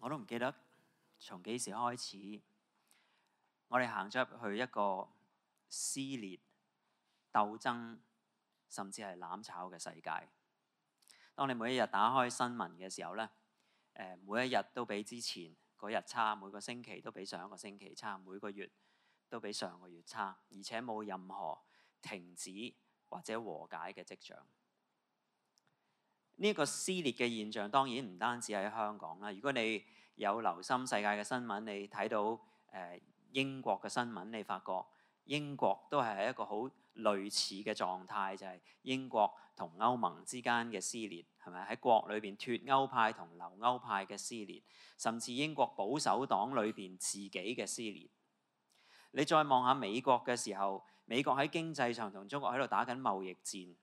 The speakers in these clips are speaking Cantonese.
我都唔記得從幾時開始，我哋行咗入去一個撕裂、鬥爭，甚至係攬炒嘅世界。當你每一日打開新聞嘅時候咧，每一日都比之前嗰日差，每個星期都比上一個星期差，每個月都比上個月差，而且冇任何停止或者和解嘅跡象。呢個撕裂嘅現象當然唔單止喺香港啦。如果你有留心世界嘅新聞，你睇到英國嘅新聞，你發覺英國都係喺一個好類似嘅狀態，就係英國同歐盟之間嘅撕裂，係咪？喺國裏邊脫歐派同留歐派嘅撕裂，甚至英國保守黨裏邊自己嘅撕裂。你再望下美國嘅時候，美國喺經濟上同中國喺度打緊貿易戰，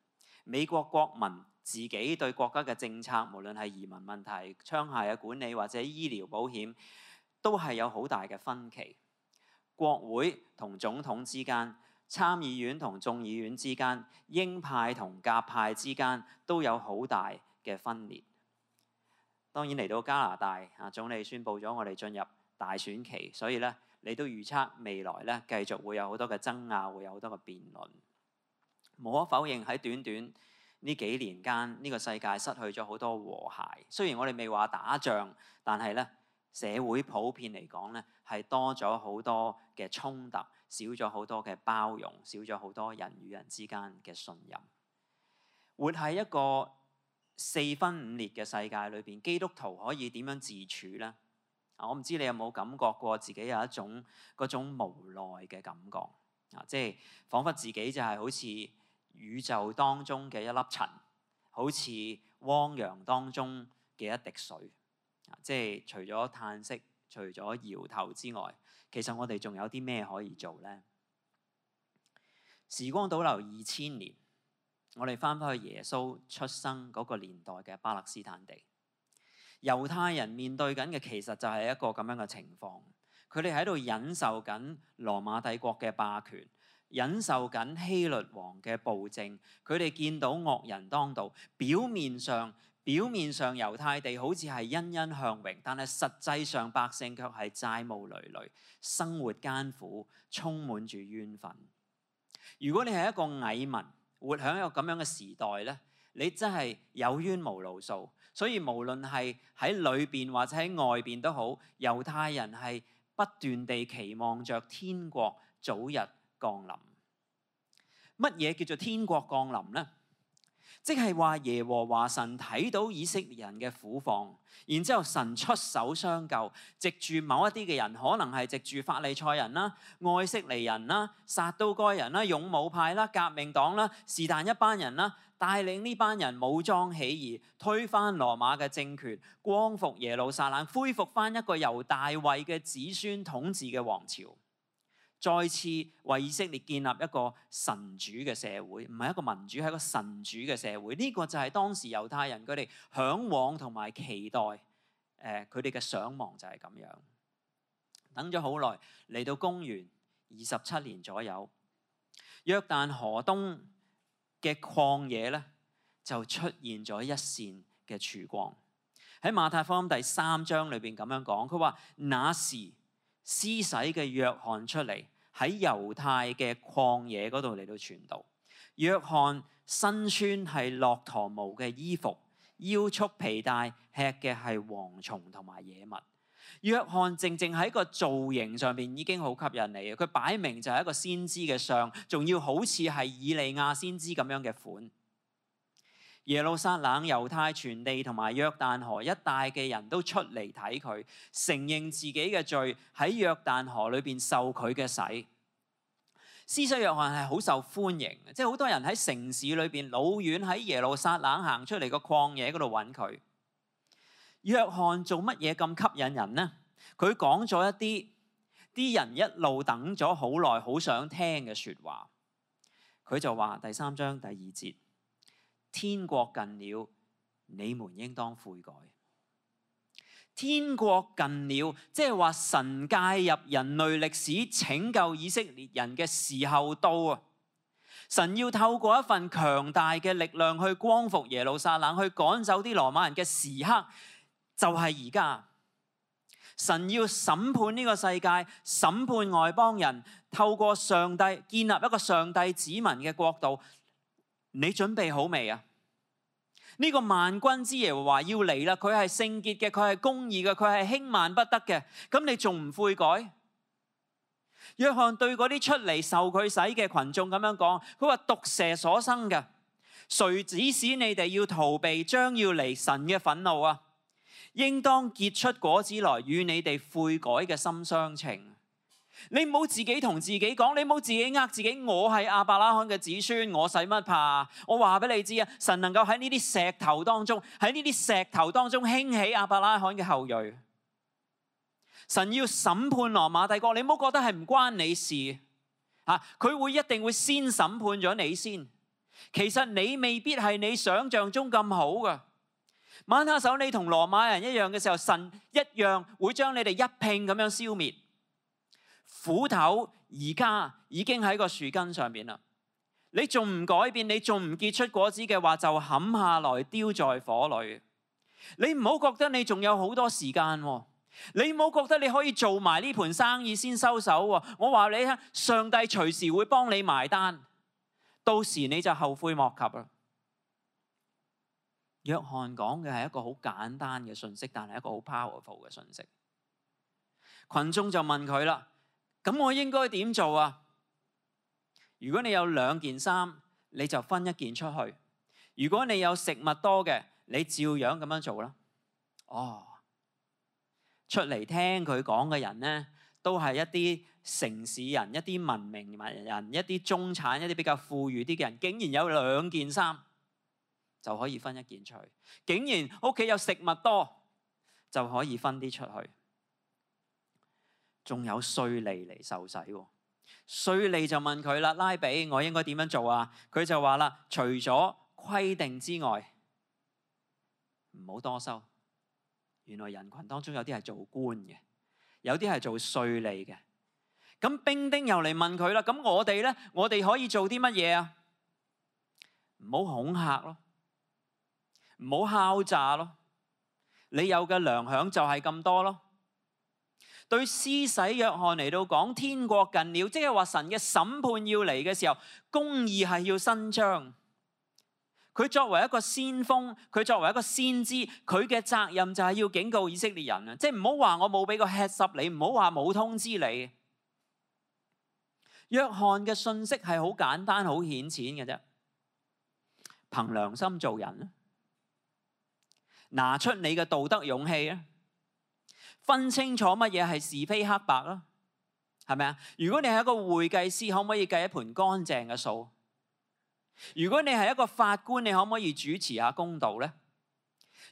美國國民自己對國家嘅政策，無論係移民問題、槍械嘅管理或者醫療保險，都係有好大嘅分歧。國會同總統之間、參議院同眾議院之間、鷹派同鴿派之間都有好大嘅分裂。當然嚟到加拿大，總理宣布咗我哋進入大選期，所以咧你都預測未來咧繼續會有好多嘅爭拗，會有好多嘅辯論。無可否認喺短短呢幾年間，呢個世界失去咗好多和諧。雖然我哋未話打仗，但係咧社會普遍嚟講咧係多咗好多嘅衝突，少咗好多嘅包容，少咗好多人與人之間嘅信任。活喺一個四分五裂嘅世界裏邊，基督徒可以點樣自處呢？我唔知你有冇感覺過自己有一種嗰種無奈嘅感覺，即係彷彿自己就係好似宇宙當中嘅一粒塵，好似汪洋當中嘅一滴水，即係除咗嘆息、除咗搖頭之外，其實我哋仲有啲咩可以做呢？時光倒流2000年，我哋翻返去耶穌出生嗰個年代嘅巴勒斯坦地，猶太人面對緊嘅其實就係一個咁樣嘅情況，佢哋喺度忍受緊羅馬帝國嘅霸權，忍受緊希律王嘅暴政，佢哋見到惡人當道，表面上猶太地好似係欣欣向榮，但係實際上百姓卻係債務累累，生活艱苦，充滿住怨憤。如果你係一個蟻民，活喺一個咁樣嘅時代咧，你真係有冤無路訴。所以無論係喺裏邊或者喺外邊都好，猶太人係不斷地期望着天國早日降臨。乜嘢叫做天國降臨呢？即係話耶和華神睇到以色列人嘅苦況，然之後神出手相救，藉住某一啲嘅人，可能係藉住法利賽人啦、愛色尼人啦、撒都該人啦、勇武派啦、革命黨啦，是但一班人啦，帶領呢班人武裝起義，推翻羅馬嘅政權，光復耶路撒冷，恢復翻一個由大衛嘅子孫統治嘅王朝。再次為以色列建立一個神主嘅社會，唔係一個民主，係一個神主嘅社會。呢個就係當時猶太人佢哋嚮往同埋期待，佢哋嘅想望就係咁樣。等咗好耐，嚟到公元27年左右，約旦河東嘅曠野咧就出現咗一線嘅曙光。喺馬太福音第3章裏邊咁樣講，佢話那時施洗嘅約翰出嚟，喺猶太嘅曠野嗰度嚟到傳道。約翰身穿係駱駝毛嘅衣服，腰束皮帶，吃嘅係蝗蟲同埋野物。約翰正喺個造型上面已經好吸引你嘅，佢擺明就係一個先知嘅相，仲要好似係以利亞先知咁樣嘅款。耶路撒冷、猶太全地同埋約旦河一帶嘅人都出嚟睇佢，承認自己嘅罪，喺約旦河裏邊受佢嘅洗。施洗約翰係好受歡迎，即係好多人喺城市裏邊老遠喺耶路撒冷行出嚟個曠野嗰度揾佢。約翰做乜嘢咁吸引人呢？佢講咗一啲人一路等咗好耐好想聽嘅說話。佢就話第3章第2節。天國近了，你們應當悔改。天國近了，即係話神介入人類歷史拯救以色列人嘅時候到啊！神要透過一份強大嘅力量去光復耶路撒冷，去趕走啲羅馬人嘅時刻，就係而家。神要審判呢個世界，審判外邦人，透過上帝建立一個上帝子民嘅國度。你準備好未啊？呢個萬軍之耶和華要嚟啦，佢係聖潔嘅，佢係公義嘅，佢係輕慢不得嘅。咁你仲唔悔改？約翰對嗰啲出嚟受佢洗嘅群眾咁樣講，佢話毒蛇所生嘅，誰指使你哋要逃避將要嚟神嘅憤怒啊？應當結出果子來，與你哋悔改嘅心相稱。你唔好自己同自己講，你唔好自己呃自己。我係亞伯拉罕嘅子孫，我使乜怕？我話俾你知啊，神能夠喺呢啲石頭當中，興起亞伯拉罕嘅後裔。神要審判羅馬帝國，你唔好覺得係唔關你事啊！佢一定會先審判咗你先。其實你未必係你想象中咁好噶。晚下手你同羅馬人一樣嘅時候，神一樣會將你哋一併咁樣消滅。斧頭而家已經喺個樹根上面啦，你仲唔改變，你仲唔結出果子嘅話，就砍下來丟在火裏。你唔好覺得你仲有好多時間，你唔好覺得你可以做埋呢盤生意先收手。我話你聽，上帝隨時會幫你埋單，到時你就後悔莫及啦。約翰講嘅係一個好簡單嘅信息，但係一個好 powerful 嘅信息。群眾就問佢啦，咁我應該點做啊？如果你有2件衫，你就分1件出去；如果你有食物多嘅，你照樣咁樣做啦。出嚟聽佢講嘅人呢，都係一啲城市人、一啲文明人、一啲中產、一啲比較富裕啲嘅人，竟然有2件衫就可以分1件出去，竟然屋企有食物多就可以分啲出去。仲有稅吏嚟受洗喎，稅吏就問佢啦，拉比，我應該點樣做啊？佢就話啦，除咗規定之外，唔好多收。原來人群當中有啲係做官嘅，有啲係做稅吏嘅。咁兵丁又嚟問佢啦，咁我哋呢？我哋可以做啲乜嘢啊？唔好恐嚇咯，唔好敲詐咯，你有嘅糧餉就係咁多咯。對施洗約翰嚟到講，天國近了，即係話神嘅審判要嚟嘅時候，公義係要伸張。佢作為一個先鋒，佢作為一個先知，佢嘅責任就係要警告以色列人啊！即係唔好話我冇俾個 heads up你，唔好話冇通知你。約翰嘅信息係好簡單、好顯淺嘅啫，憑良心做人啦，拿出你嘅道德勇氣啊！分清楚乜嘢係是非黑白啦，係咪啊？如果你係一個會計師，可唔可以計一盤乾淨嘅數？如果你係一個法官，你可唔可以主持下公道呢？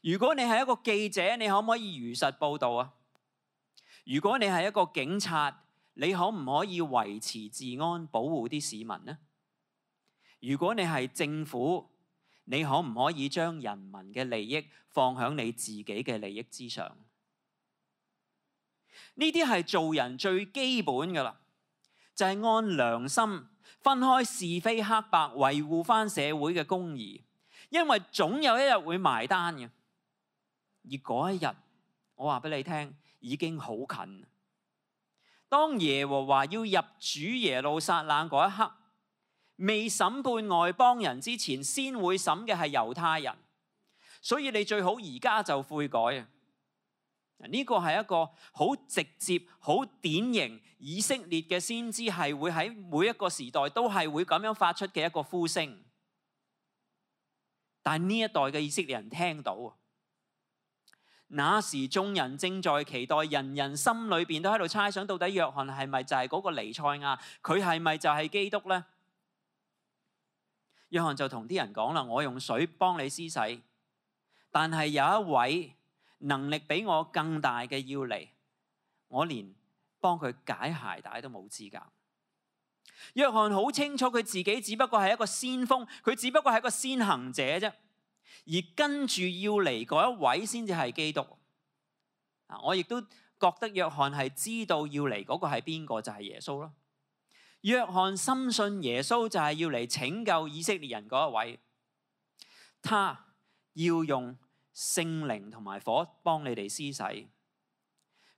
如果你係一個記者，你可唔可以如實報導啊？如果你係一個警察，你可唔可以維持治安，保護啲市民呢？如果你係政府，你可唔可以將人民嘅利益放喺你自己嘅利益之上？呢啲係做人最基本噶啦，就係按良心分開是非黑白，維護翻社會嘅公義。因為總有一日會埋單嘅，而嗰一日，我話俾你聽，已經好近。當耶和華要入主耶路撒冷嗰一刻，未審判外邦人之前，先會審嘅係猶太人。所以你最好而家就悔改啊！呢個係一個好直接、好典型以色列嘅先知，係會喺每一個時代都係會咁樣發出嘅一個呼聲。但係呢一代嘅以色列人聽到，那時眾人正在期待，人人心裏邊都喺度猜想，到底約翰係咪就係嗰個彌賽亞？佢係咪就係基督呢？約翰就同啲人講啦，我用水幫你施洗，但係有一位能力比我更大嘅要嚟，我連幫佢解鞋帶都冇資格。約翰好清楚佢自己只不過係一個先鋒，佢只不過係一個先行者啫，而跟住要嚟嗰一位先至係基督。我亦都覺得約翰係知道要嚟嗰個係邊個，就係耶穌咯。約翰深信耶穌就係要嚟拯救以色列人嗰一位，他要用聖靈同埋火幫你哋施洗，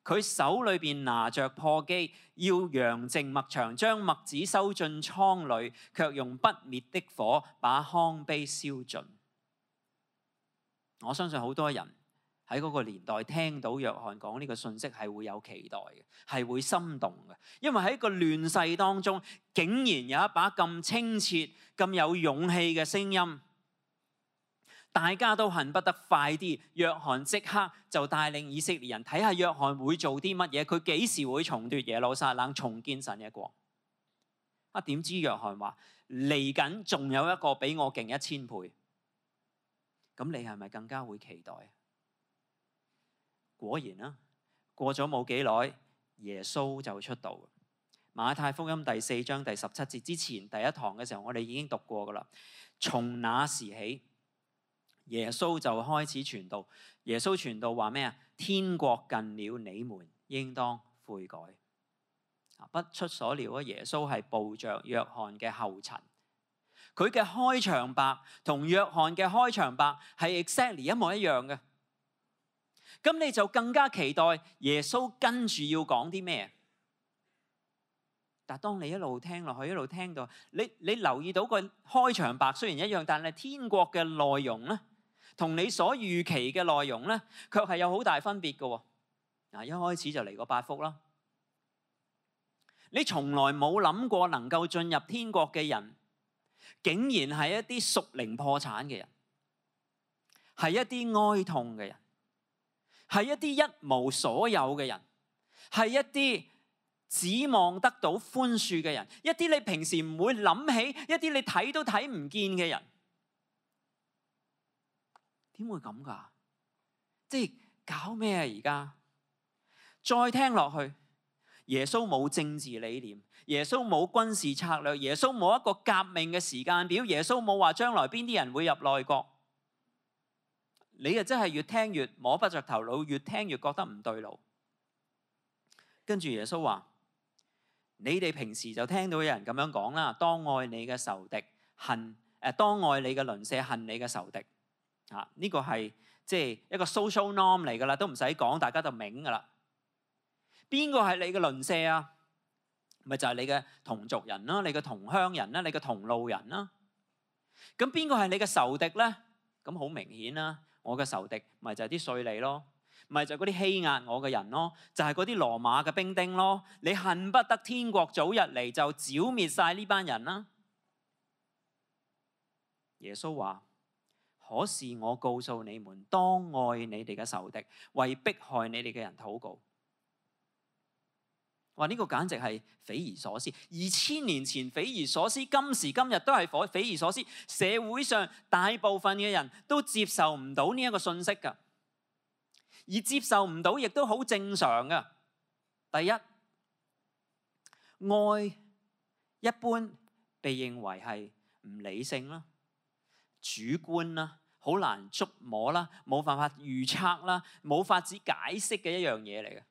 佢手裏邊拿着簸箕，要揚淨麥場，將麥子收進倉裏，卻用不滅的火把糠秕燒盡。我相信好多人喺嗰個年代聽到約翰講呢個信息係會有期待嘅，係會心動嘅，因為喺一個亂世當中，竟然有一把咁清澈、咁有勇氣嘅聲音。大家都恨不得快啲，約翰即刻就帶領以色列人睇下約翰會做啲乜嘢，佢幾時會重奪耶路撒冷，重建神嘅國。點知約翰話嚟緊仲有一個比我勁1000倍，咁你係咪更加會期待？果然啦，過咗冇幾耐，耶穌就出道。馬太福音第4章第17節之前第一堂嘅時候，我哋已經讀過噶啦。從那時起，耶穌就開始傳道。耶穌傳道話咩啊？天國近了，你們應當悔改。不出所料啊，耶穌係步着約翰嘅後塵。佢嘅開場白同約翰嘅開場白係 exactly 一模一樣嘅。咁你就更加期待耶穌跟住要講啲咩？但當你一路聽落去，一路聽到你留意到個開場白雖然一樣，但係天國嘅內容咧，同你所預期嘅內容咧，卻係有好大分別嘅。一開始就嚟個8福啦。你從來冇諗過能夠進入天國嘅人，竟然係一啲屬靈破產嘅人，係一啲哀痛嘅人，係一啲一無所有嘅人，係一啲指望得到寬恕嘅人，一啲你平時唔會諗起，一啲你睇都睇唔見嘅人。點會咁㗎？即係搞咩啊？而家再聽落去，耶穌冇政治理念，耶穌冇軍事策略，耶穌冇一個革命嘅時間表，耶穌冇話將來邊啲人會入內閣。你啊真係越聽越摸不着頭腦，越聽越覺得唔對路。跟住耶穌話：你哋平時就聽到有人咁樣講啦，當愛你嘅仇敵，當愛你嘅鄰舍，恨你嘅仇敵。呢個係即係一個 social norm 嚟㗎啦，都唔使講，大家就明㗎啦。邊個係你嘅鄰舍啊？咪就係你嘅同族人啦，你嘅同鄉人啦，你嘅同路人啦。咁邊個係你嘅仇敵咧？咁好明顯啦，我嘅仇敵咪就係啲稅吏咯，咪就係嗰啲欺壓我嘅人咯，就係嗰啲羅馬嘅兵丁咯。你恨不得天國早日嚟就剿滅晒呢班人啦。耶穌話：可是我告訴你們，當愛你哋嘅仇敵，為迫害你哋嘅人禱告。話呢個簡直係匪夷所思，2000年前匪夷所思，今時今日都係匪夷所思。社會上大部分嘅人都接受唔到呢一個信息㗎，而接受唔到亦都好正常㗎。第一，愛一般被認為係唔理性啦、主觀啦、好難捉摸啦、冇辦法預測啦、冇法子解釋嘅一樣嘢嚟嘅。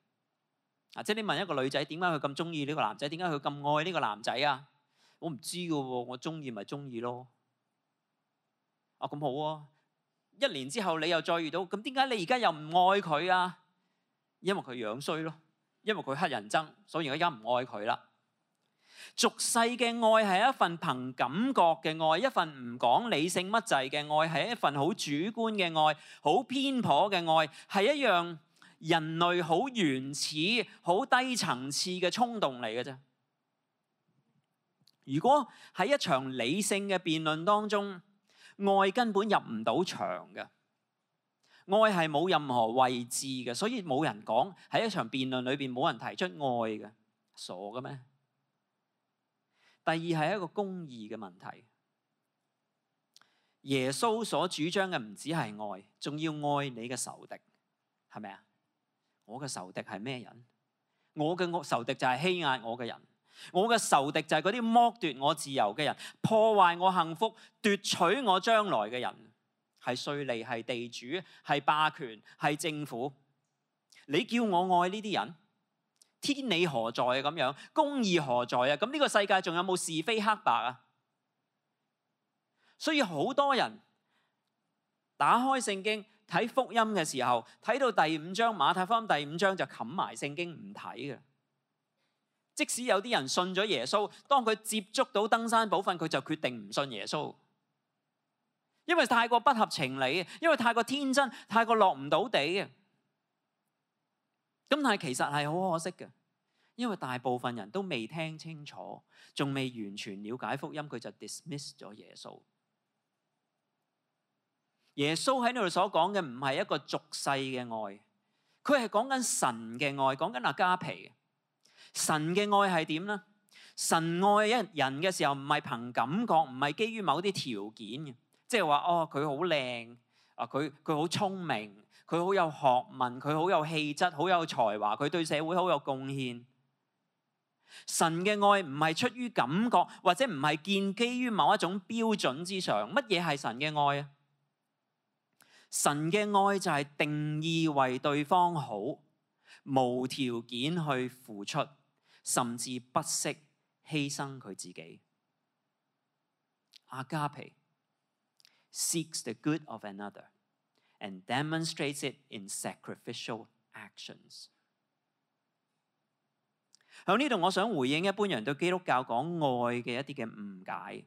即係你問一個女仔點解佢咁中意呢個男仔，點解佢咁愛呢個男仔啊？我唔知㗎喎，我中意咪中意咯。咁好啊，1年之後你又再遇到，咁點解你而家又唔愛佢啊？因為佢樣衰咯，因為佢乞人憎，所以而家唔愛佢啦。俗世嘅愛係一份憑感覺嘅愛，一份唔講理性乜滯嘅愛，係一份好主觀嘅愛，好偏頗嘅愛，係一樣人類好原始、好低層次嘅衝動嚟嘅啫。如果喺一場理性嘅辯論當中，愛根本入唔到場嘅，愛係冇任何位置嘅，所以冇人講喺一場辯論裏邊冇人提出愛嘅，傻嘅咩？第二係一個公義嘅問題。耶穌所主張嘅唔止係愛，仲要愛你嘅仇敵，係咪啊？我嘅仇敵係咩人？我嘅仇敵就係欺壓我嘅人，我嘅仇敵就係嗰啲剝奪我自由嘅人，破壞我幸福、奪取我將來嘅人，係稅吏、係地主、係霸權、係政府。你叫我愛呢啲人？天理何在啊？咁樣公義何在啊？咁呢個世界仲有冇是非黑白啊？所以好多人打開聖經睇福音嘅時候，睇到第5章馬太福音第5章就冚埋聖經唔睇嘅。即使有啲人信咗耶穌，當佢接觸到登山寶訓，佢就決定唔信耶穌，因為太過不合情理，因為太過天真，太過落唔到地嘅。咁但係其實係好可惜嘅，因為大部分人都未聽清楚，仲未完全了解福音，佢就 dismiss 咗耶穌。耶穌喺呢度所講嘅唔係一個俗世嘅愛，佢係講緊神嘅愛，講緊阿加皮。神嘅愛係點呢？神愛一人嘅時候，唔係憑感覺，唔係基於某啲條件嘅，即係話哦，佢好靚啊，佢好聰明，佢好有學問，佢好有氣質，好有才華，佢對社會好有貢獻。神嘅愛唔係出於感覺，或者唔係建基於某一種標準之上。乜嘢係神嘅愛啊？神嘅愛就係定義為對方好，無條件去付出，甚至不惜犧牲佢自己。阿加皮 seeks the good of another and demonstrates it in sacrificial actions。喺呢度，我想回應一般人對基督教講愛嘅一啲嘅誤解。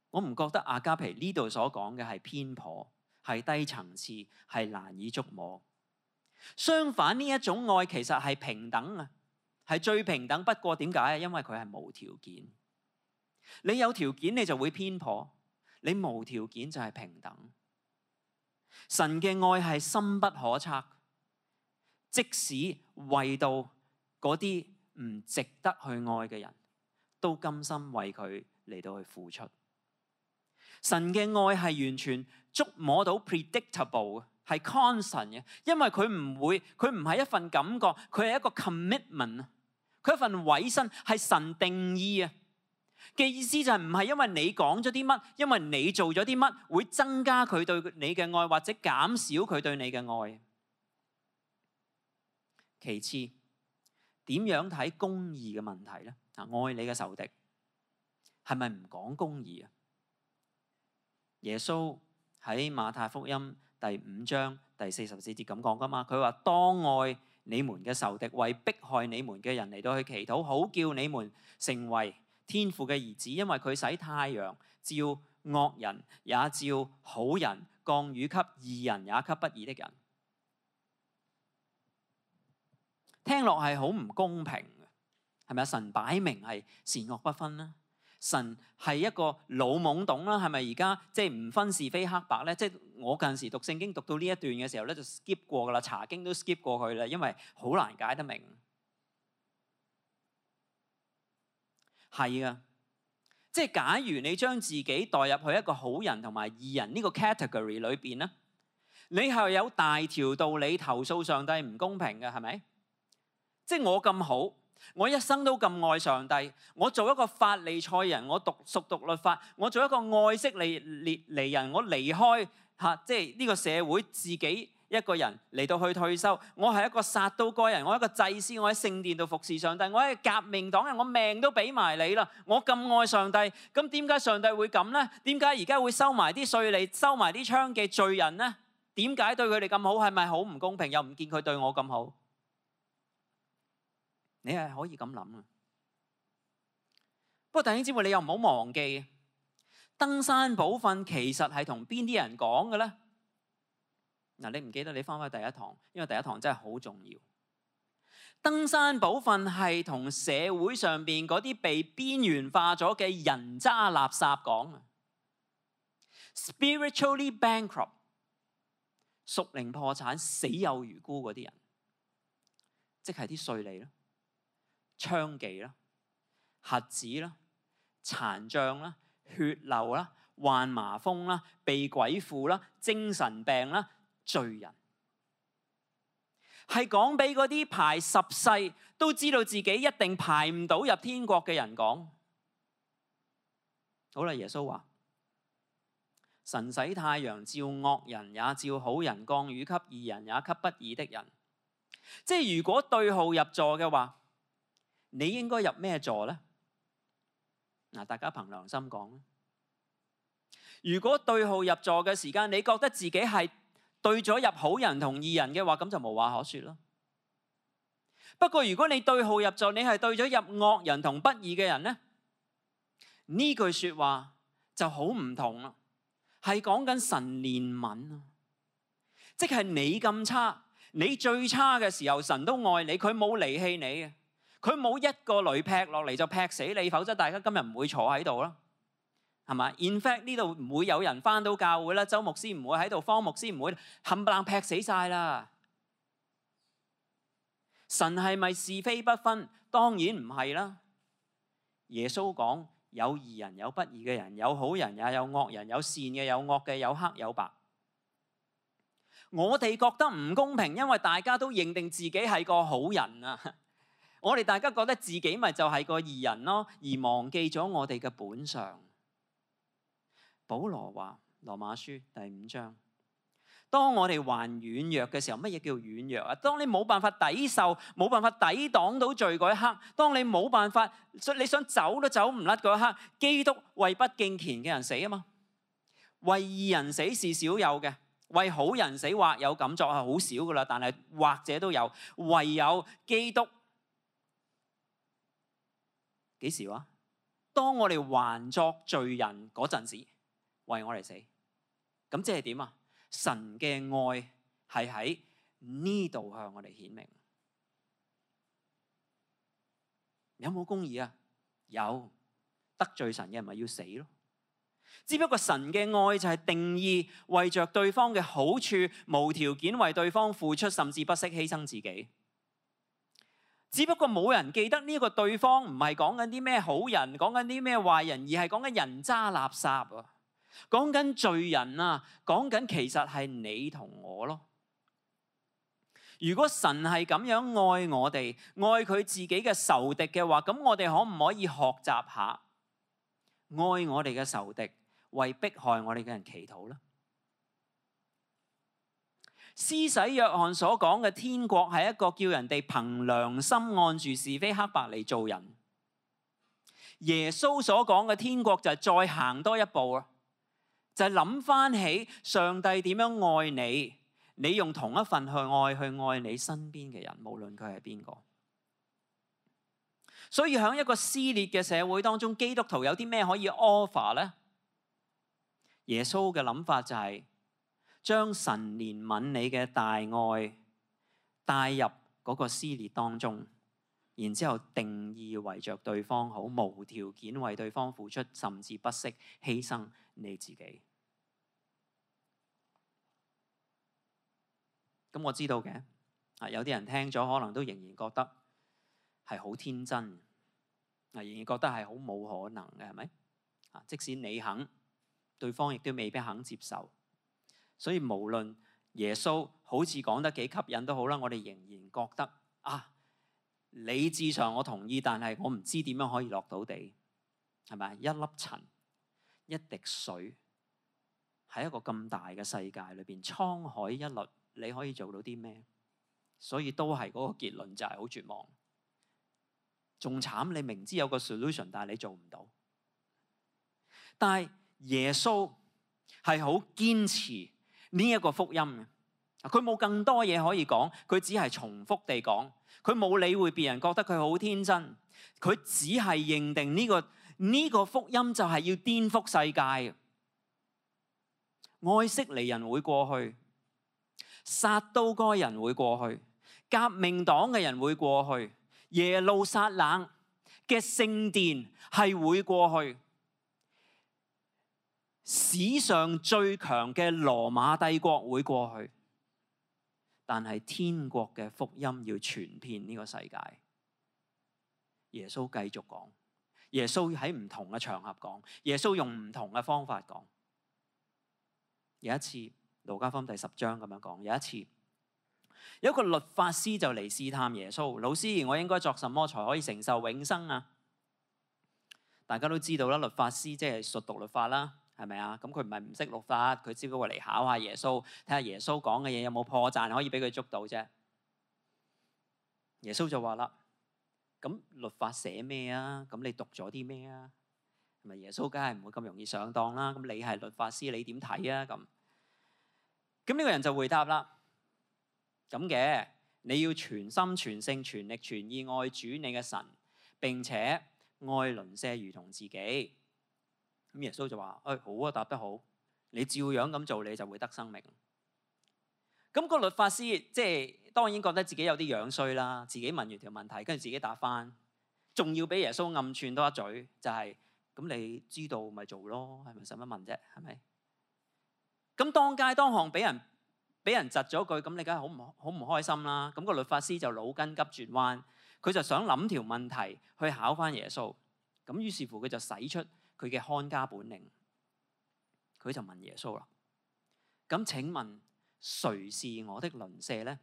我唔覺得阿加皮呢度所講嘅係偏頗，係低層次，係難以觸摸。相反，呢一種愛其實係平等啊，係最平等不過。點解啊？因為佢係無條件。你有條件你就會偏頗，你無條件就係平等。神嘅愛係深不可測，即使為到嗰啲唔值得去愛嘅人，都甘心為佢嚟到去付出。神嘅愛係完全觸摸到 predictable 嘅，係 constant 嘅，因為佢唔係一份感覺，佢係一個 commitment， 佢係一份委身，係神定義啊嘅意思，就係唔係因為你講咗啲乜，因為你做咗啲乜，會增加佢對你嘅愛，或者減少佢對你嘅愛。其次，點樣睇公義嘅問題咧？愛你嘅仇敵係咪唔講公義啊？耶穌喺馬太福音第5章第44節咁講噶嘛，佢話當愛你們嘅仇敵，為迫害你們嘅人嚟到去祈禱，好叫你們成為天父嘅兒子，因為佢使太陽照惡人也照好人，降雨給義人也給不義的人。聽落係好唔公平嘅，係咪啊？神擺明係善惡不分啦。神係一個老懵懂啦，係咪而家即係唔分是非黑白咧？即係我近時讀聖經讀到呢一段嘅時候咧，就 skip 過噶啦，查經都 skip 過去啦，因為好難解得明。係啊，即係假如你將自己代入去一個好人同埋義人呢個 category 裏邊咧，你係有大條道理投訴上帝唔公平嘅，係咪？即係我咁好。我一生都咁愛上帝，我做一個法利賽人，我熟讀律法，我做一個愛色利人，我離開即係呢個社會，自己一個人嚟到去退休。我係一個撒都該人，我係一個祭司，我喺聖殿度服侍上帝，我係革命黨人，我命都俾埋你啦。我咁愛上帝，咁點解上帝會咁呢？點解而家會收埋啲稅吏，收埋啲娼妓罪人呢？點解對佢哋咁好？係咪好唔公平？又唔見佢對我咁好？你係可以咁諗啊！不過弟兄姊妹，你又唔好忘記，登山寶訓其實係同邊啲人講嘅咧？嗱，你唔記得你翻返第一堂，因為第一堂真係好重要。登山寶訓係同社會上邊嗰啲被邊緣化咗嘅人渣垃圾講啊 ，spiritually bankrupt， 屬靈破產、死有餘辜嗰啲人，即係啲稅吏咯。娼妓啦、瞎子啦、殘障啦、血漏啦、患麻風啦、被鬼附啦、精神病啦、罪人，係講俾嗰啲排10世都知道自己一定排唔到入天國嘅人講。好啦，耶穌話：神使太陽照惡人也照好人，降雨給義人也給不義的人。即係如果對號入座嘅話，你應該入咩座呢？嗱，大家憑良心講，如果對號入座嘅時間，你覺得自己係對咗入好人同義人嘅話，咁就無話可說咯。不過如果你對號入座，你係對咗入惡人同不義嘅人咧，呢句說話就好唔同啦，係講緊神憐憫啊，即係你咁差，你最差嘅時候，神都愛你，佢冇離棄你嘅，佢冇一個雷劈落嚟就劈死你，否則大家今日唔會坐喺度啦，係嘛 ？In fact 呢度唔會有人返到教會啦，周牧師唔會喺度，方牧師唔會，冚唪唥劈死晒啦。神係咪是非不分？當然唔係啦。耶穌講有義人有不義嘅人，有好人也有惡人，有善嘅有惡嘅，有黑有白。我哋覺得唔公平，因為大家都認定自己係個好人啊。我哋大家覺得自己咪就係個義人咯，而忘記咗我哋嘅本相。保羅話羅馬書第5章。當我哋還軟弱嘅時候，乜嘢叫軟弱啊？當你冇辦法抵受、冇辦法抵擋到罪嗰一刻，當你冇辦法，你想走都走唔甩嗰一刻，基督為不敬虔嘅人死啊嘛！為義人死是少有嘅，為好人死或有敢作係好少噶啦，但係或者都有。唯有基督幾時話？當我哋還作罪人嗰陣時，為我哋死。咁即係點啊？神嘅愛係喺呢度向我哋顯明。有冇公義啊？有。得罪神嘅人咪要死咯。只不過神嘅愛就係定義為着對方嘅好處，無條件為對方付出，甚至不惜犧牲自己。只不過冇人記得呢個對方唔係講緊啲咩好人，講緊啲咩壞人，而係講緊人渣垃圾啊！講緊罪人啊，講緊其實係你同我咯。如果神係咁樣愛我哋，愛佢自己嘅仇敵嘅話，咁我哋可唔可以學習下愛我哋嘅仇敵，為迫害我哋嘅人祈禱呢？施洗約翰所講嘅天國係一個叫人哋憑良心按住是非黑白嚟做人。耶穌所講嘅天國就係再行多一步啊！就係諗翻起上帝點樣愛你，你用同一份去愛你身邊嘅人，無論佢係邊個。所以喺一個撕裂嘅社會當中，基督徒有啲咩可以 offer 呢？耶穌嘅諗法就係將神憐憫你嘅大愛帶入嗰個撕裂當中，然之後定義為着對方好，無條件為對方付出，甚至不惜犧牲你自己。咁我知道嘅，有啲人聽咗可能都仍然覺得係好天真，仍然覺得係好冇可能嘅，係咪？即使你肯，對方亦都未必肯接受。所以無論耶穌好似講得幾吸引都好啦，我哋仍然覺得理智上我同意，但係我唔知點樣可以落到地，係咪？一粒塵、一滴水，喺一個咁大嘅世界裏邊，滄海一律，你可以做到啲咩？所以都係嗰個結論，就係好絕望。仲慘，你明知有個 solution， 但係你做唔到。但係耶穌係好堅持呢一個福音嘅，佢冇更多嘢可以講，佢只係重複地講，佢冇理會別人覺得佢好天真，佢只係認定呢個福音就係要顛覆世界。愛色尼人會過去，撒都該人會過去，革命黨嘅人會過去，耶路撒冷嘅聖殿係會過去，史上最強嘅羅馬帝國會過去，但係天國嘅福音要傳遍呢個世界。耶穌繼續講，耶穌喺唔同嘅場合講，耶穌用唔同嘅方法講。有一次，路加福音第10章咁樣講，有一次有一個律法師就嚟試探耶穌，老師，我應該作什麼才可以承受永生啊？大家都知道啦，律法師即係熟讀律法啦，係咪啊？咁佢唔係唔識律法，佢只不過嚟考下耶穌，睇下耶穌講嘅嘢有冇破綻可以俾佢捉到啫。耶穌就話啦，咁律法寫咩啊？咁你讀咗啲咩啊？咪耶穌梗係唔會咁容易上當啦。咁你係律法師，你點睇啊？咁呢個人就回答啦，咁嘅，你要全心全性全力全意愛主你嘅神，並且愛鄰舍如同自己。咁耶穌就話：好啊，答得好，你照樣咁做，你就會得生命。咁個律法師即係當然覺得自己有啲樣衰啦，自己問完條問題，跟住自己答翻，仲要俾耶穌暗串多一嘴，就係咁你知道咪做咯，係咪使乜問啫？係咪？咁當街當巷俾人窒咗句，咁你梗係好唔開心啦。咁個律法師就腦筋急轉彎，佢就想諗條問題去考翻耶穌。咁於是乎佢就使出佢嘅看家本領，佢就問耶穌啦：咁請問誰是我的鄰舍咧？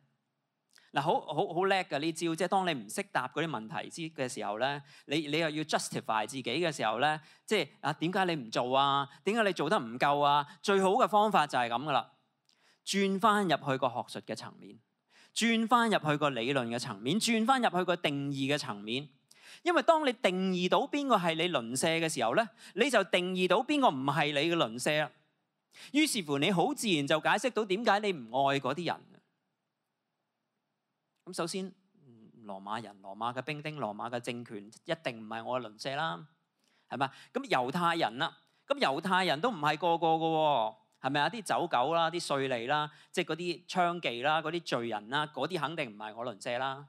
嗱，好叻㗎呢招，即係當你唔識答嗰啲問題嘅時候咧，你又要 justify 自己嘅時候咧，即係點解你唔做啊？點解你做得唔夠啊？最好嘅方法就係咁噶啦，轉翻入去個學術嘅層面，轉翻入去個理論嘅層面，轉翻入去個定義嘅層面。因為當你定義到邊個係你鄰舍嘅時候咧，你就定義到邊個唔係你嘅鄰舍啦。於是乎，你好自然就解釋到點解你唔愛嗰啲人。咁首先，羅馬人、羅馬嘅兵丁、羅馬嘅政權一定唔係我嘅鄰舍啦，係咪？咁猶太人啦，咁猶太人都唔係個個嘅喎，係咪啊？啲走狗啦、啲稅吏啦，即係嗰啲娼妓啦、嗰啲罪人啦，嗰啲肯定唔係我鄰舍啦。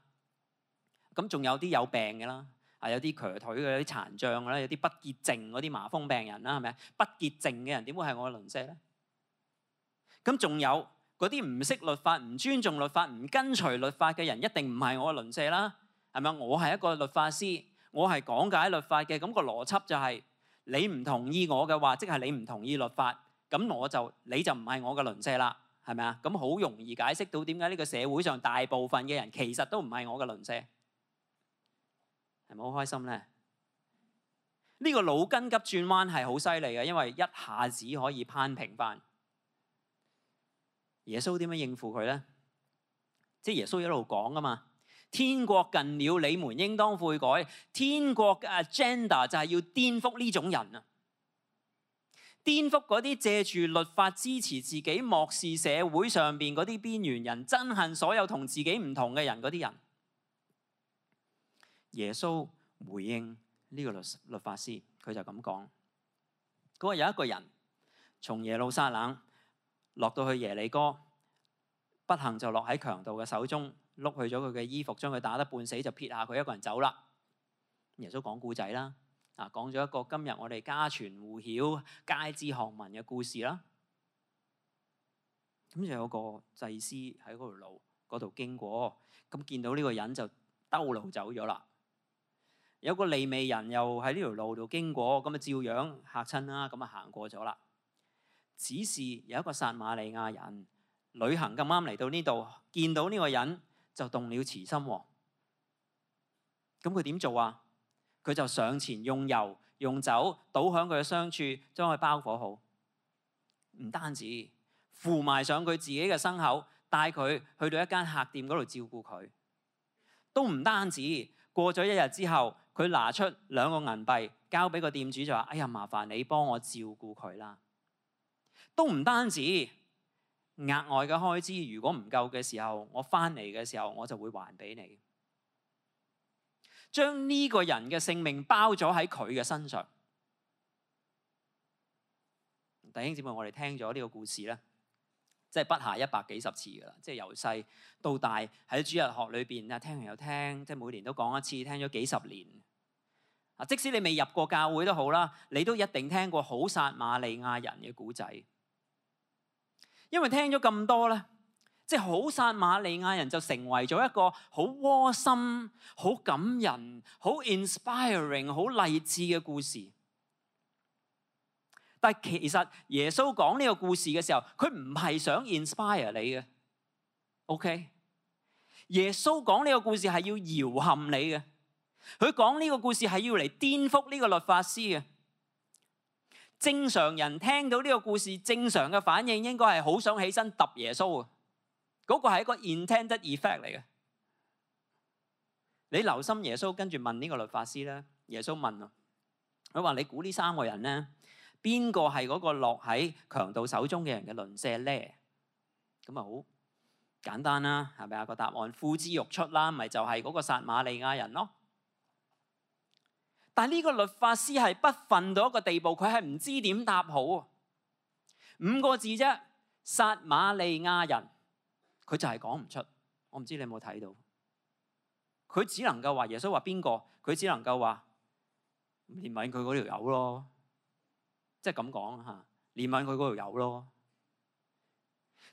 咁仲有啲有病嘅啦，有啲瘸腿嘅、有啲殘障嘅啦，有啲不潔淨嗰啲麻風病人啦，係咪？不潔淨嘅人點會係我嘅鄰舍咧？咁仲有嗰啲唔識律法、唔尊重律法、唔跟隨律法嘅人，一定唔係我嘅鄰舍啦，係咪？我係一個律法師，我係講解律法嘅，咁個邏輯就係你唔同意我嘅話，即係你唔同意律法，咁你就唔係我嘅鄰舍啦，係咪啊？咁好容易解釋到點解呢個社會上大部分嘅人其實都唔係我嘅鄰舍，係咪好開心咧？呢個腦筋急轉彎係好犀利嘅，因為一下子可以攀平翻。耶穌點樣應付佢咧？即係耶穌一路講啊嘛，天國近了，你們應當悔改。天國嘅 agenda 就係要顛覆呢種人啊，顛覆嗰啲借住律法支持自己、漠視社會上邊嗰啲邊緣人、憎恨所有同自己唔同嘅人嗰啲人。耶穌回應呢個律法師，佢就咁講：嗰個有一個人從耶路撒冷落到去耶利哥，不幸就落喺強盜嘅手中，碌去咗佢嘅衣服，將佢打得半死，就撇下佢一個人走啦。耶穌講故仔啦，講咗一個今日我哋家傳戶曉、街知巷聞嘅故事啦。咁就有個祭司喺嗰條路嗰度經過，咁見到呢個人就兜路走咗啦。有個利未人又喺呢條路度經過，咁啊照樣嚇親啦，咁啊行過咗啦。只是有一個撒瑪利亞人旅行咁啱嚟到呢度，見到呢個人就動了慈心喎。咁佢點做啊？佢就上前用油用酒倒響佢嘅傷處，將佢包裹好。唔單止扶埋上佢自己嘅牲口，帶佢去到一間客店嗰度照顧佢。都唔單止，過咗一日之後，佢拿出2個銀幣交俾個店主，就話：哎呀，麻煩你幫我照顧佢啦。都唔單止，額外嘅開支如果唔夠嘅時候，我翻嚟嘅時候我就會還俾你。將呢個人嘅性命包咗喺佢嘅身上。弟兄姊妹，我哋聽咗呢個故事咧，即係不下100幾十次噶啦，即係由細到大喺主日學裏邊啊，聽完又聽，即係每年都講一次，聽咗幾十年。即使你未入過教會都好啦，你都一定聽過好撒瑪利亞人嘅故仔。因為聽咗咁多咧，即係好撒瑪利亞人就成為咗一個好窩心、好感人、好 inspiring、好勵志嘅故事。但係其實耶穌講呢個故事嘅時候，佢唔係想 inspire 你嘅，OK？耶穌講呢個故事係要搖撼你嘅，佢講呢個故事係要嚟顛覆呢個律法師嘅。正常人聽到呢個故事，正常嘅反應應該係好想起身揼耶穌啊！嗰個係一個 intended effect 嚟嘅。你留心耶穌跟住問呢個律法師咧，耶穌問啊：佢話：你估呢3個人咧，邊個係嗰個落喺強盜手中嘅人嘅鄰舍咧？咁啊好簡單啦，係咪啊？個答案呼之欲出啦，咪就係嗰個撒瑪利亞人咯。但係呢個律法師係不忿到一個地步，佢係唔知點答好。5個字啫，撒瑪利亞人，佢就係講唔出。我唔知你有冇睇到？佢只能夠話耶穌話邊個？佢只能夠話憐憫佢嗰條友咯，即係咁講嚇，憐憫佢嗰條友咯。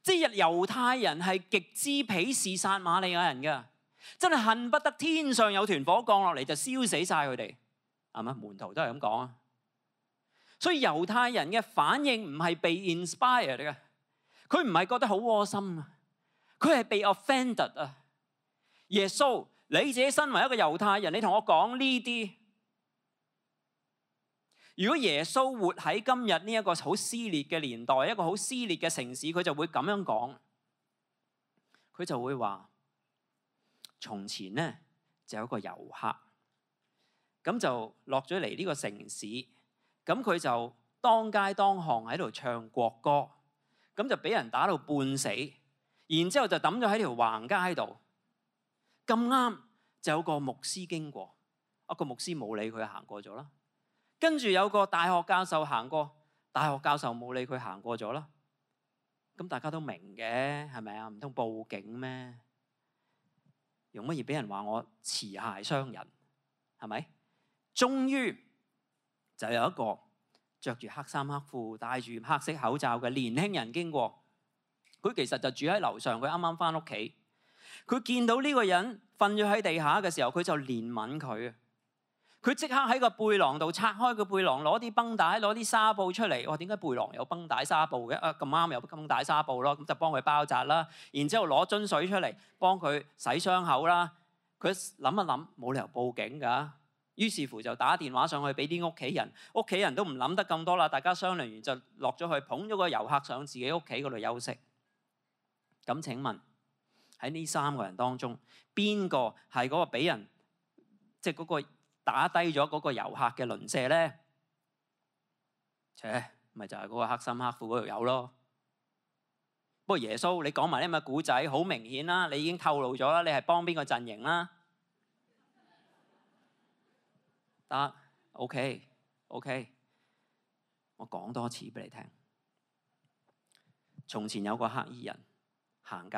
即係猶太人係極之鄙視撒瑪利亞人㗎，真係恨不得天上有團火降落嚟就燒死晒佢哋，係咪？門徒都係咁講啊。所以猶太人嘅反應唔係被 inspired 嘅，佢唔係覺得好窩心啊，佢係被 offended 啊。耶穌，你自己身為一個猶太人，你同我講呢啲，如果耶穌活喺今日呢一個好撕裂嘅年代，一個好撕裂嘅城市，佢就會咁樣講，佢就會話：從前咧就有一個遊客，咁就落咗嚟呢個城市。咁佢就當街當巷喺度唱國歌，咁就俾人打到半死，然之後就抌咗喺條橫街度。咁啱就有個牧師經過，個牧師冇理佢行過咗啦。跟住有個大學教授行過，大學教授冇理佢行過咗啦。咁大家都明嘅，係咪啊？唔通報警咩？用乜嘢俾人話我持械傷人？係咪？終於就有一個着住黑衫黑褲、戴住黑色口罩嘅年輕人經過。佢其實就住喺樓上，佢啱啱翻屋企。佢見到呢個人瞓咗喺地下嘅時候，佢就憐憫佢。佢即刻喺個背囊度拆開個背囊，攞啲繃帶、攞啲紗布出嚟。哇！點解背囊有繃帶紗布嘅？咁啱有繃帶紗布咯，咁就幫佢包紮啦。然之後攞樽水出嚟幫佢洗傷口啦。佢諗一諗，冇理由報警㗎。於是乎就打電話上去俾啲屋企人，屋企人都唔諗得咁多啦，大家商量完就落咗去捧咗個遊客上自己屋企嗰度休息。咁請問喺呢3個人當中，邊個係嗰個俾人即係嗰個打低咗嗰個遊客嘅鄰舍咧？咪就係嗰個黑衫黑褲嗰條友咯。不過耶穌，你講埋啲咁嘅古仔，好明顯啦，你已經透露咗啦，你係幫邊個陣營啦？得 ，OK， 我講多次俾你聽。從前有個黑衣人行街，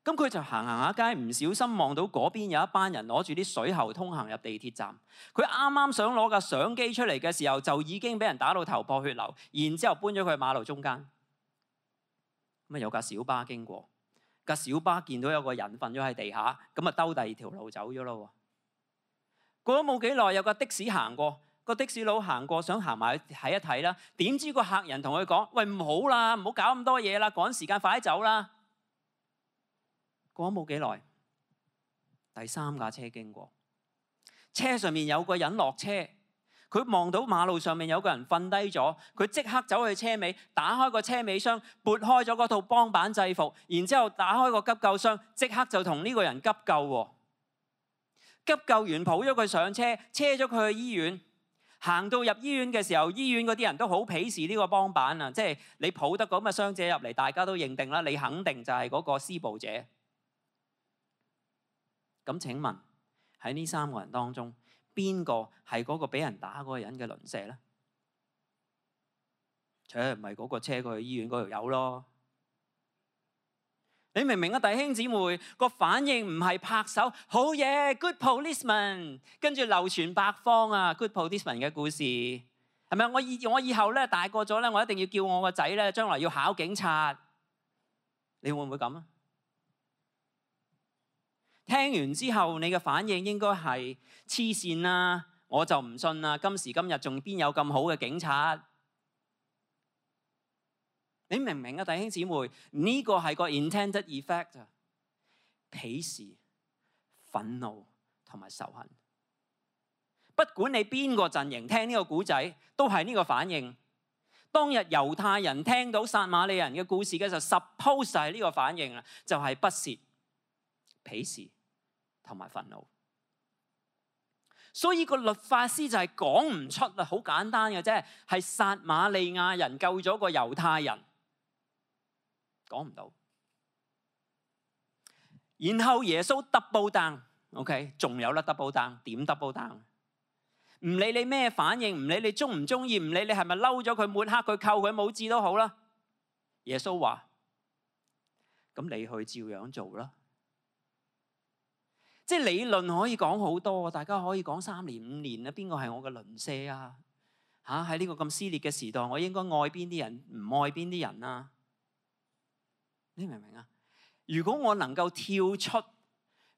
咁佢就行下街，唔小心望到嗰邊有一班人攞住啲水喉通行入地鐵站。佢啱啱想攞架相機出嚟嘅時候，就已經俾人打到頭破血流，然之後搬咗佢去馬路中間。咁有架小巴經過，架小巴見到有個人瞓咗喺地下，咁兜第2條路走咗咯。過咗冇幾耐，有個的士行過，個的士佬行過想行埋去睇一睇啦。點知個客人同佢講：喂，唔好啦，唔好搞咁多嘢啦，趕時間，快啲走啦！過咗冇幾耐，第3架車經過，車上面有個人落車，佢望到馬路上面有個人瞓低咗，佢即刻走去車尾，打開個車尾箱，撥開咗嗰套幫板制服，然之後打開個急救箱，即刻就同呢個人急救喎。急救員抱咗佢上車，車咗佢去醫院。行到入醫院嘅時候，醫院嗰啲人都好鄙視呢個幫辦啊！即係你抱得咁嘅傷者入嚟，大家都認定啦，你肯定就係嗰個施暴者。咁請問喺呢3個人當中，邊個係嗰個俾人打嗰個人嘅鄰舍咧？唔係嗰個車佢去醫院嗰條友咯。你明唔明啊？弟兄姊妹，個反應唔係拍手，好嘢 ，good policeman， 跟住流傳百方啊 ，good policeman 嘅故事係咪？我以後咧大個咗咧，我一定要叫我個仔咧，將來要考警察。你會唔會咁啊？聽完之後，你嘅反應應該係黐線啦，我就唔信啦。今時今日仲邊有咁好嘅警察？你明唔明啊，弟兄姊妹？呢個係個 intended effect 啊，鄙視、憤怒同埋仇恨。不管你邊個陣營聽呢個故仔，都係呢個反應。當日猶太人聽到撒瑪利亞人嘅故事嘅時候，suppose 係呢個反應啦，就係不屑、鄙視同埋憤怒。所以個律法師就係講唔出啦，好簡單嘅啫，係撒瑪利亞人救咗個猶太人，講唔到。然後耶穌 double down，OK， 仲有啦 double down， 點 double down？ 唔理你咩反應，唔理你中唔中意，唔理你係咪嬲咗佢、抹黑佢、扣佢帽子都好啦。耶穌話：咁你去照樣做啦。即係理論可以講好多，大家可以講3年5年啦。邊個係我嘅鄰舍啊？喺呢個咁撕裂嘅時代，我應該愛邊啲人，唔愛邊啲人啊？你明唔明啊？如果我能夠跳出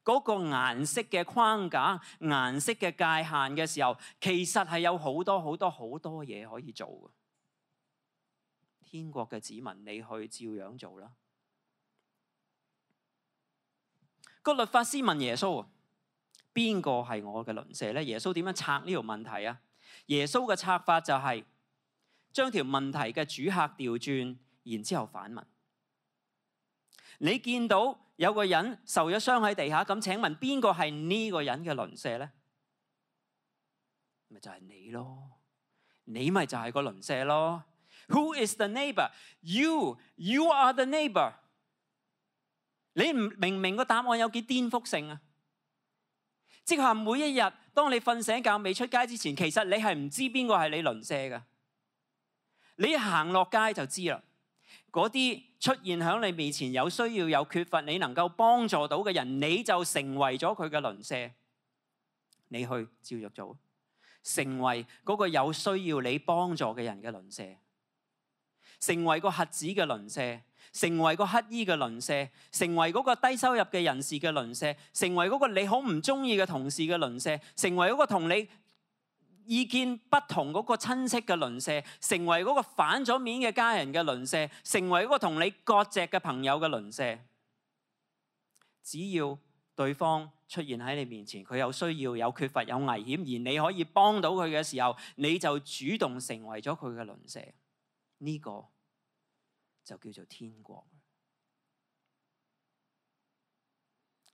嗰個顏色嘅框架、顏色嘅界限嘅時候，其實係有好多好多好多嘢可以做嘅。天國嘅子民，你去照樣做啦。個律法師問耶穌：邊個係我嘅鄰舍咧？耶穌點樣拆呢條問題啊？耶穌嘅拆法就係將條問題嘅主客調轉，然之後反問。你見到有個人受咗傷喺地下，咁請問邊個係呢個人嘅鄰舍咧？咪就係你咯，你咪就係個鄰舍咯。Who is the neighbor? You are the neighbor。你明唔明個答案有幾顛覆性啊？即係話每一日，當你瞓醒覺未出街之前，其實你係唔知邊個係你鄰舍㗎。你行落街就知啦。嗰啲出現喺你面前有需要、有缺乏，你能夠幫助到嘅人，你就成為咗佢嘅鄰舍。你去照着做，成為嗰個有需要你幫助嘅人嘅鄰舍，成為個瞎子嘅鄰舍，成為個乞衣嘅鄰舍，成為嗰個低收入嘅人士嘅鄰舍，成為嗰個你好唔中意嘅同事嘅鄰舍，成為嗰個同你意見不同嗰個親戚嘅鄰舍，成為嗰個反咗面嘅家人嘅鄰舍，成為嗰個同你割席嘅朋友嘅鄰舍。只要對方出現喺你面前，佢有需要、有缺乏、有危險，而你可以幫到佢嘅時候，你就主動成為咗佢嘅鄰舍。呢個就叫做天國。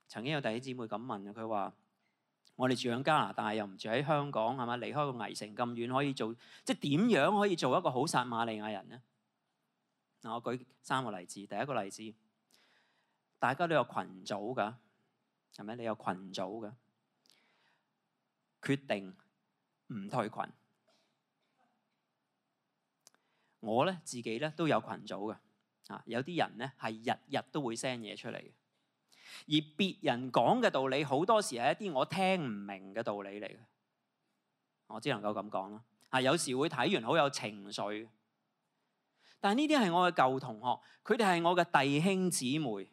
曾經有弟兄姊妹咁問佢話：我哋住喺加拿大，又唔住喺香港，係嘛？離開個危城咁遠，可以做即係點樣可以做一個好撒瑪利亞人呢？嗱，我舉3個例子。第一個例子，大家都有群組㗎，係咪？你有群組㗎，決定唔退群。我咧自己咧都有群組嘅，有啲人咧係日日都會 send 嘢出嚟嘅。而別人講嘅道理，好多時係一啲我聽唔明嘅道理嚟嘅，我只能夠咁講啦。有時會睇完好有情緒，但係呢啲係我嘅舊同學，佢哋係我嘅弟兄姊妹，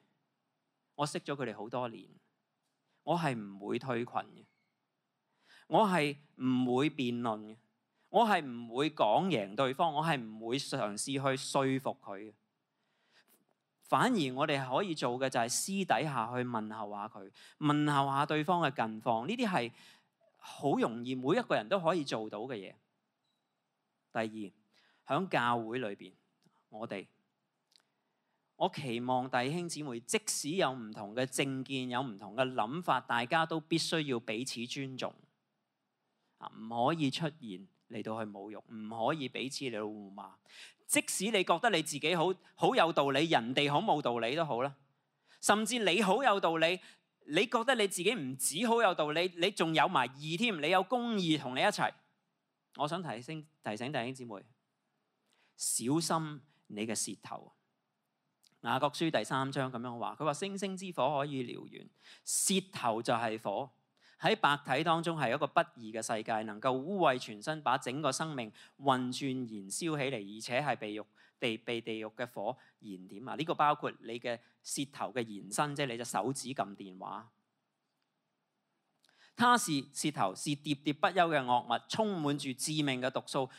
我識咗佢哋好多年，我係唔會退群嘅，我係唔會辯論嘅，我係唔會講贏對方，我係唔會嘗試去說服佢嘅。反而我哋可以做嘅就係私底下去問候下佢，問候下對方嘅近況。呢啲係好容易每一個人都可以做到嘅嘢。第二，喺教會裏邊，我期望弟兄姊妹，即使有唔同嘅政見，有唔同嘅諗法，大家都必須要彼此尊重，唔可以出現嚟到去侮辱，唔可以彼此嚟到互罵。即使你覺得你自己好有道理，人哋好冇道理都好啦。甚至你好有道理，你覺得你自己唔止好有道理，你仲有埋義添，你有公義同你一齊。我想提醒弟兄姊妹，小心你嘅舌頭。雅各書第3章咁樣話，佢話星星之火可以燎原，舌頭就係火。喺白體當中係一個不義嘅世界，能夠污穢全身，把整個生命運轉燃燒起嚟，而且係被地獄嘅火燃點啊！呢個包括你嘅舌頭嘅延伸，即係你隻手指撳電話。它是舌頭，是喋喋不休嘅惡物，充滿住致命嘅毒素。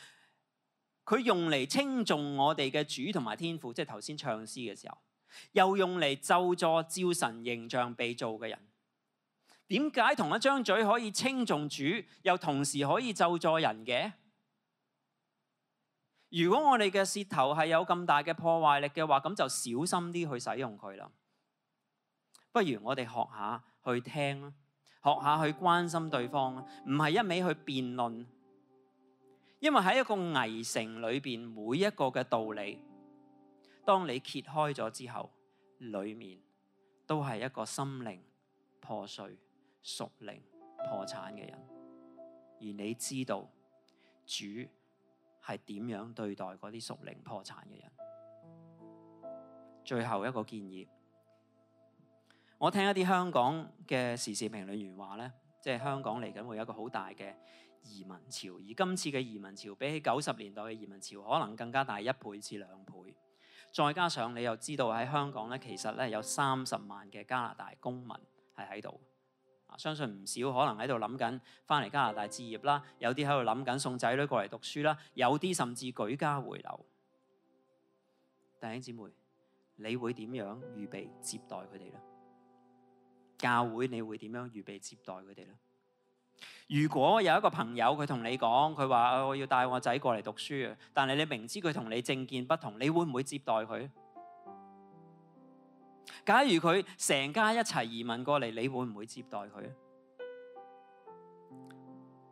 佢用嚟稱頌我哋嘅主同埋天父，即係頭先唱詩嘅時候，又用嚟咒詛照神形象被造嘅人。點解同一張嘴可以稱頌主，又同時可以咒詛人嘅？如果我哋嘅舌頭係有咁大嘅破壞力嘅話，咁就小心啲去使用佢啦。不如我哋學下去聽啦，學下去關心對方，唔係一味去辯論。因為喺一個圍城裏邊，每一個嘅道理，當你揭開咗之後，裏面都係一個心靈破碎、屬靈破產嘅人。而你知道主係點樣對待嗰啲屬靈破產嘅人。最後一個建議，我聽一啲香港嘅時事評論員話咧，即係香港嚟緊會有一個好大嘅移民潮，而今次嘅移民潮比起90年代嘅移民潮可能更加大1倍至2倍。再加上你又知道喺香港咧，其實咧有30萬嘅加拿大公民係喺度，相信唔少可能喺度諗緊翻嚟加拿大置業啦，有啲喺度諗緊送仔女過嚟讀書啦，有啲甚至舉家回流。弟兄姊妹，你會點樣預備接待佢哋咧？教會你會點樣預備接待佢哋咧？如果有一個朋友佢同你講，佢話我要帶我仔過嚟讀書啊，但係你明知佢同你政見不同，你會唔會接待佢？假如佢成家一齊移民過嚟，你會唔會接待佢？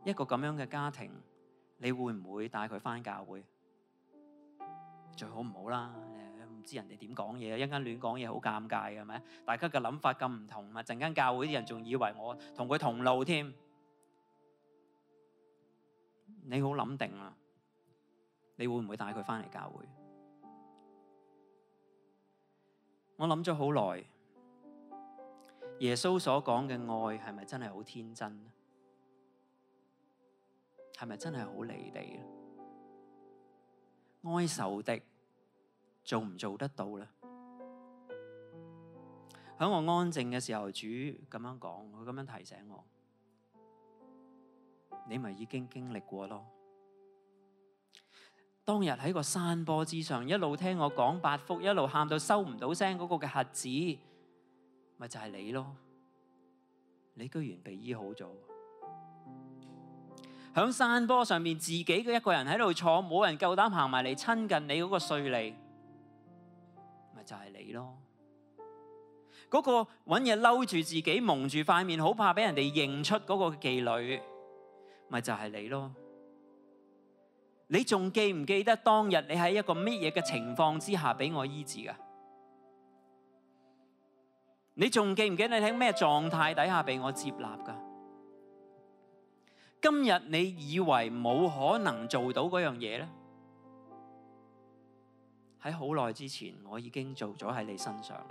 一個咁樣嘅家庭，你會唔會帶佢返教會？最好唔好啦，唔知人哋點講嘢，一陣間亂講嘢好尷尬嘅，係咪？大家嘅諗法咁唔同，陣間教會啲人仲以為我同佢同路添。你好諗定啦，你會唔會帶佢返嚟教會？我諗咗好耐，耶穌所講嘅愛係咪真係好天真？係咪真係好離地？愛仇敵做唔做得到咧？喺我安靜嘅時候，主咁樣講，佢咁樣提醒我，你咪已經經歷過咯。當日喺個山坡之上，一路聽我講八福，一路喊到收唔到聲嗰個嘅瞎子，咪就係你咯。你居然被醫好咗。喺山坡上面自己嘅一個人喺度坐，冇人夠膽行埋嚟親近你嗰個稅吏，咪就係你咯。嗰個揾嘢嬲住自己，蒙住塊面，好怕俾人哋認出嗰個妓女，咪就係你咯。你仲記唔記得當日你喺一個乜嘢嘅情況之下俾我醫治噶？你仲記唔記得你喺咩狀態底下俾我接納噶？今日你以為冇可能做到嗰樣嘢咧？喺好耐之前我已經做咗喺你身上。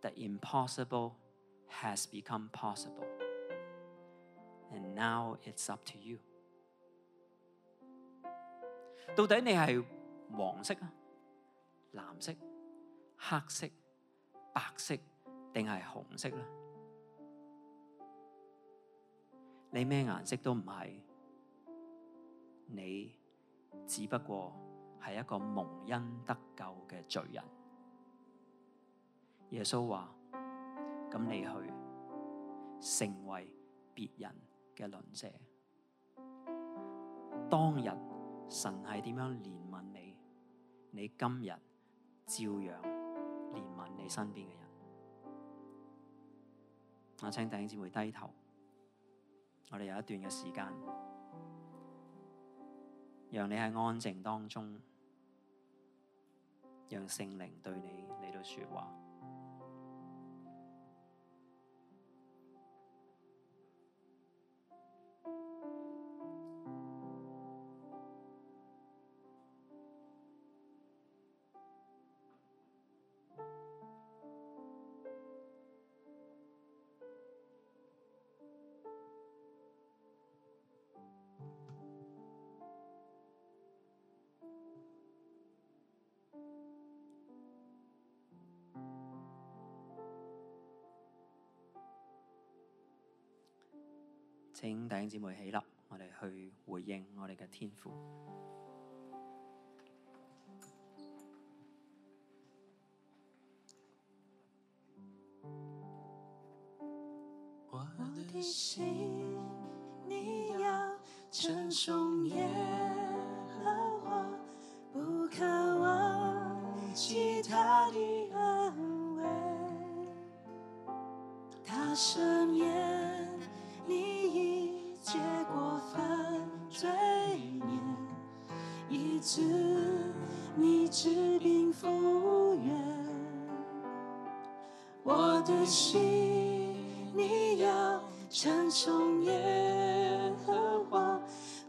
The impossible has become possible, and now it's up to you. 到底你係黃色啊、藍色、黑色、白色定係紅色咧？你咩顏色都唔係，你只不過係一個蒙恩得救嘅罪人。耶穌話：咁你去成為別人嘅鄰舍。當日神係點樣憐憫你，你今日照樣憐憫你身邊嘅人。我請弟兄姊妹低頭，我哋有一段嘅時間，讓你喺安靜當中，讓聖靈對你嚟到說話。請弟兄姊妹起立，我哋去回應我哋嘅天父。我的心，你要稱頌耶和華，不可忘記他的恩惠。赦免你一切过犯罪孽，医治你治病复原。我的心你要称颂耶和华，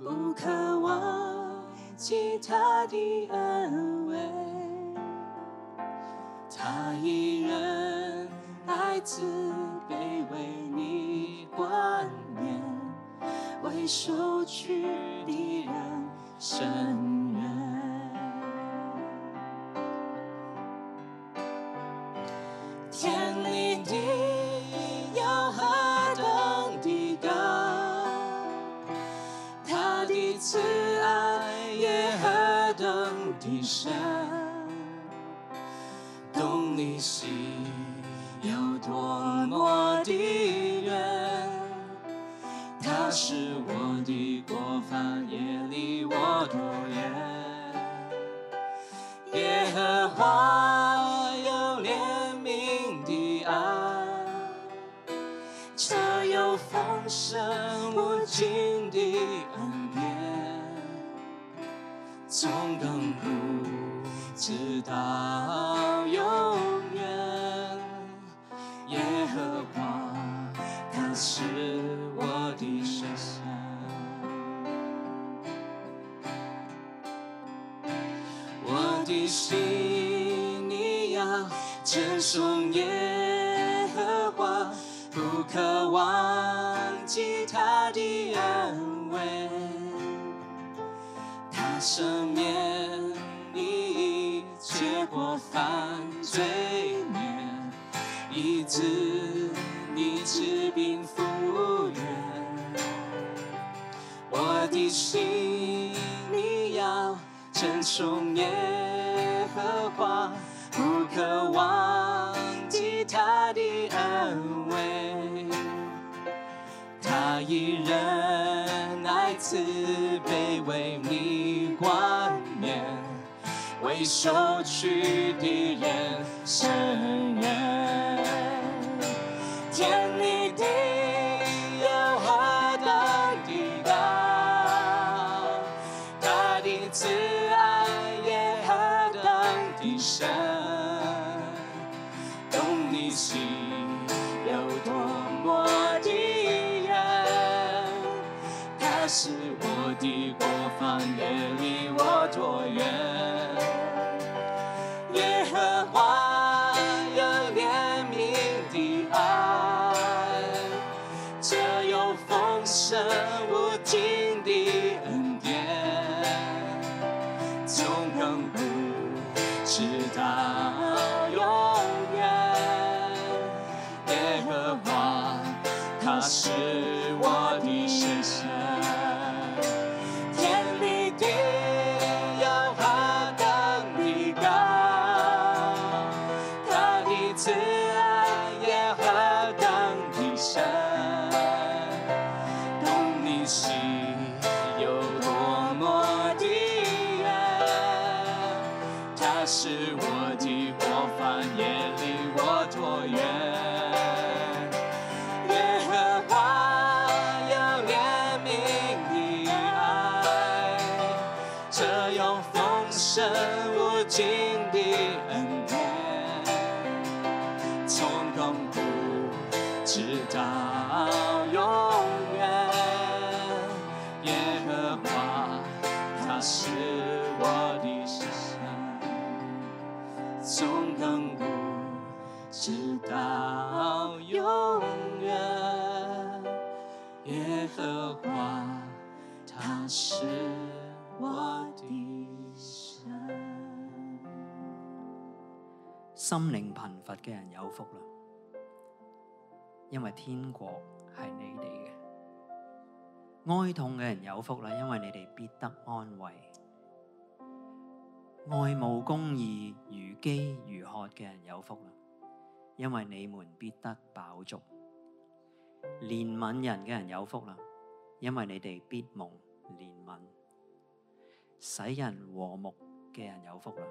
不可忘记他的恩惠。他以仁爱慈悲为你冠冕，为受屈的人伸冤。天离地有何等的高，他的慈爱也何等的深，懂你心有多么的远，他使我的过犯也离我多远。耶和华有怜悯的爱，这有丰盛无尽的恩典，从亘古直到永远。耶和华他是我的神，我的心你要称颂耶和华，不可忘记他的恩惠。他赦免你一切过犯罪孽，医治你治病复原。我的心你要称颂耶和华，不可忘记他的恩惠。他以仁爱慈悲为你冠冕，为受屈的人伸冤。天离地有何等的高，他的慈爱也何等的深，懂你心有多么的远，他使我的过犯也离我多远。耶和华有怜悯的爱，这有丰盛无尽的恩典，从亘古直到永远。耶和华他是我的神，天离地有何等的高，他的慈爱也何等的深，懂你心有多么的远，他使我的过犯也离我多远。耶和华有怜悯的爱，这有丰盛无尽的恩典，从亘古直到永远。耶和华他是我的神，从亘古直到永远。耶和华他是我的神。心靈貧乏嘅人有福啦，因為天國係你哋嘅；哀痛嘅人有福啦，因為你哋必得安慰；愛慕公義、如飢如渴嘅人有福啦，因為你們必得飽足；憐憫人嘅人有福啦，因為你哋必蒙憐憫；使人和睦嘅人有福啦，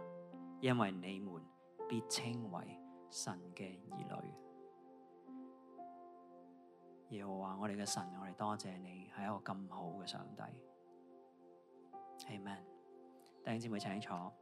因為你們必稱為神嘅兒女。耶和華我哋嘅神，我哋多謝你係一個咁好嘅上帝。Amen。弟兄姊妹請坐。